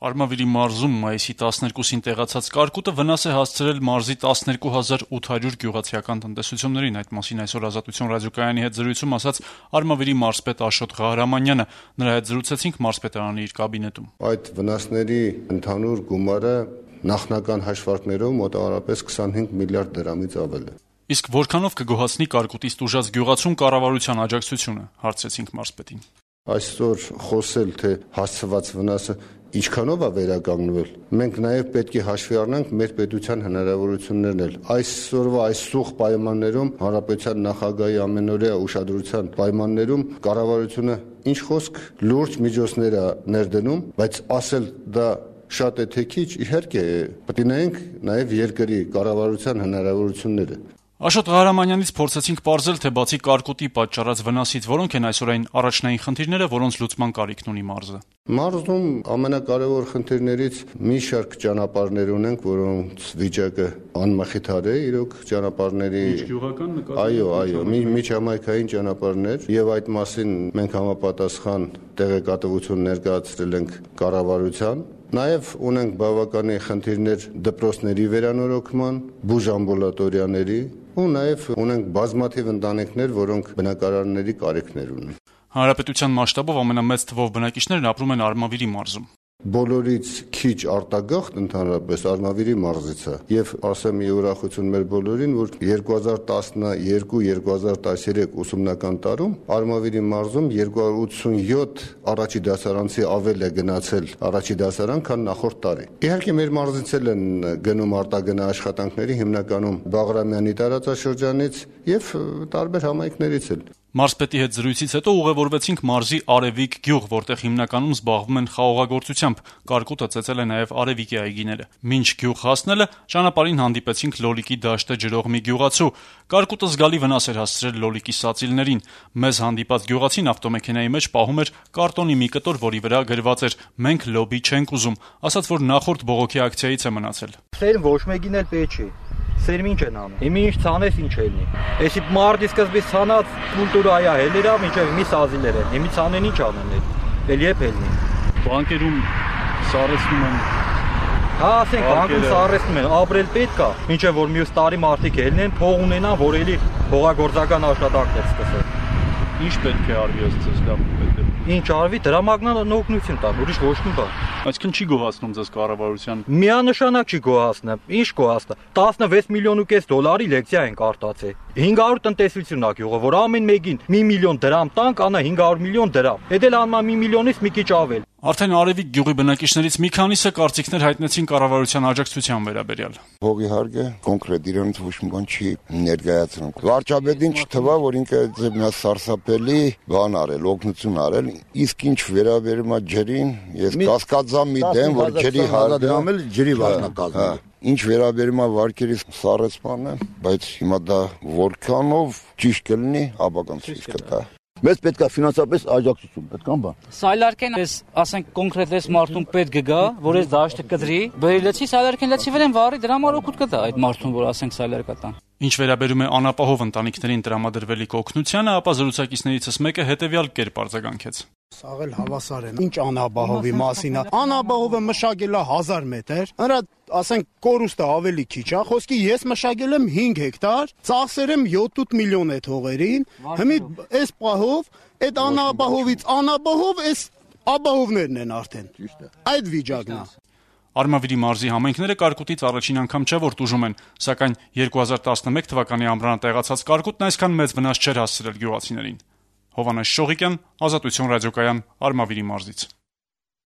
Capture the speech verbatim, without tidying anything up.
Արմավիրի մարզում մայիսի տասներկուսին տեղացած կարկուտը վնաս է հասցրել մարզի տասներկու հազար ութ հարյուր գյուղացիական տնտեսություններին։ Այդ մասին այսօր Ազատություն ռադիոկայանի հետ զրույցում ասաց Արմավիրի մարզպետ Աշոտ Ղահրամանյանը։ Նրա հետ զրուցեցինք մարզպետարանի իր կաբինետում։ Այդ վնասների ընդհանուր գումարը նախնական հաշվարկներով մոտավորապես քսանհինգ միլիարդ դրամից ավել է։ Իսկ որքանով կգոհացնի կարկուտից տուժած գյուղացուն կառավարության աջակցությունը, հարցրեցինք մարզպետին։ Այսօր խոսել, թե հասցված վնասը ինչքանով է վերականգնվել, մենք նաև պետք է հաշվի առնենք մեր պետության հնարավորություններն էլ։ Այսօրվա այս սուղ պայմաններում հանրապետության նախագահի ամենօրյա ուշադրության պայմաններում կառավարությունը ինչ խոսք լուրջ միջոցներ է ներդնում, բայց ասել դա շատ է թե քիչ, իհարկե պետք է նայենք նաև երկրի կառավարության հնարավորությունները։ Աշոտ Ղահրամանյանից փորձեցինք պարզել, թե բացի կարկուտի պատճառած վնասից որոնք են այսօր այն առաջնային խնդիրները, որոնց լուծման կարիքն ունի մարզը։ Մարզում ամենակարևոր խնդիրներից մի շարք ճանապարհներ ունենք, որոնց վիճակը անմխիթար է, իրոք ճանապարհների Միջգյուղական նկատի։ Այո, այո, միջհամայնքային ճանապարհներ, եւ այդ մասին մենք համապատասխան տեղեկատվություն ներկայացրել ենք կառավարության։ Նաև ունենք բավականին խնդիրներ դպրոցների վերանորոգման, բուժամբուլատորիաների ու նաև ունենք բազմաթիվ ընտանիքներ, որոնք բնակարանների կարիքներ ունեն։ Հանրապետության մասշտաբով ամենամեծ թվով բնակիչներն ապրում են Արմավիրի մարզում։ Բոլորից քիչ արտագաղթ ընդհանրապես Արմավիրի մարզից է եւ ասեմ մի ուրախություն մեր բոլորին, որ երկու հազար տասներկու երկու հազար տասներեք ուսումնական տարում Արմավիրի մարզում երկու հարյուր ութսունյոթ առաջի դասարանցի ավել է գնացել առաջի դասարան, քան նախորդ տարի։ Իհարկե մեր մարզից էլ են գնում արտագնա աշխատանքների հիմնականում Բաղրամյանի տարածաշրջանից եւ տարբեր համայնքներից էլ։ Մարզպետի հետ զրույցից հետո ուղևորվեցինք մարզի Արևիկ գյուղ, որտեղ հիմնականում զբաղվում են խաղողագործությամբ։ Կարկուտը ծեծել է նաև Արևիկի այգիները։ Մինչ գյուղ հասնելը ճանապարհին հանդիպեցինք Լոլիկի դաշտը ջրող մի գյուղացու։ Կարկուտը զգալի վնաս էր հասցրել Լոլիկի սածիլներին։ Մեզ հանդիպած գյուղացին ավտոմեքենայի մեջ պահում էր կարտոնի մի կտոր, որի վրա գրված էր «Մենք լոբի չենք ուզում», ասաց, որ նախորդ բողոքի ակցիայից է մնացել։ Սեր ոչ մեկին էլ պետք չի։ Սերմ ինչ են անում։ Հիմա ինչ ցանես ինչ ելնի։ Էսի մարտի սկզբից ցանած կուլտուրա այա հելերա, մինչև մի սազիլեր են։ Հիմա ցանեն ինչ անեն էլ։ Էլ եփ ելնի։ Բանկերում սարեցնում են։ Հա, ասենք բանկում սարեցնում են, ապրել պետք է։ Մինչև որ մյուս տարի մարտիկ ելնեն, փող ունենան, որ էլի հողագործական աշխատանքներ սկսեն։ Ինչ պետք է արվի ըստ լավ պետք է։ Ինչ արվի, դրամագնան օգնություն տա, ուրիշ ոչ մի բան։ Այսինքն չի գոհացնում ձեզ կառավարության։ Միանշանակ չի գոհացնա։ Ինչ գոհացնա։ տասնվեց միլիոն ու կես դոլարի լեկցիա են արտացել։ հինգ հարյուր տնտեսություն ա գյուղը, որ ամեն մեկին մի միլիոն դրամ տանք, անա հինգ հարյուր միլիոն դրամ։ Էդել անման մի միլիոնից մի քիչ ավել։ Արդեն Արևիկ գյուղի բնակիչներից մի քանիսը կարծիքներ հայտնեցին կառավարության աջակցության վերաբերյալ։ Հողի հարգը կոնկրետ իրենից ոչ մի բան չի ներկայացնում։ Վարչապետին չթվա, որ ինքը ձեզ սարսափելի բան արել, օգնություն արել, իսկ ինչ վերաբերում է ջրին, ես կասկածամ մի դեմ, որ ջրի հարգը ջրի վարնակազմը։ Ինչ վերաբերում է վարկերի սառեցմանը, բայց հիմա դա որքանով ճիշտ կլինի, ապականցից կտա։ Մեզ պետք է ֆինանսապես աջակցություն, պետք է բան։ Սայլարկեն էս, ասենք կոնկրետ էս մարդուն պետք գա, որ էս դաշտը կդրի, բերիլեցի սայլարկեն լեցի վրան վարի դրա համար օգուտ կտա այդ մարդուն, որ ասենք սայլարկա տան։ Ինչ վերաբերում է անապահով ընտանիքներին տրամադրվելիք օգնությանը, ապա զրուցակիցներիցս մեկը հետևյալ կերպ արձագանքեց։ Սաղել հավասար են։ Ինչ անապահովի մասին է։ Անապահովը մշակել է հազար մետր, նրա ասենք կորուստը ավելի քիչ է, խոսքի ես մշակել եմ հինգ հեկտար, ծախսեր եմ յոթ միլիոն է թողերին, հիմի այս պահով այդ անապահովից անապահով այս ապահովներն են արդեն։ Այդ վիճակն է։ Արմավիրի մարզի համայնքները կարկուտից առաջին անգամ չէ որ տուժում են, սակայն երկու հազար տասնմեկ թվականի ամռանատեղացած կարկուտն այսքան մեծ վնաս չէր հասցրել գյուղացիներին։ Հովհաննես Շողիկյան, Ազատություն ռադիոկայան, Արմավիրի մարզից։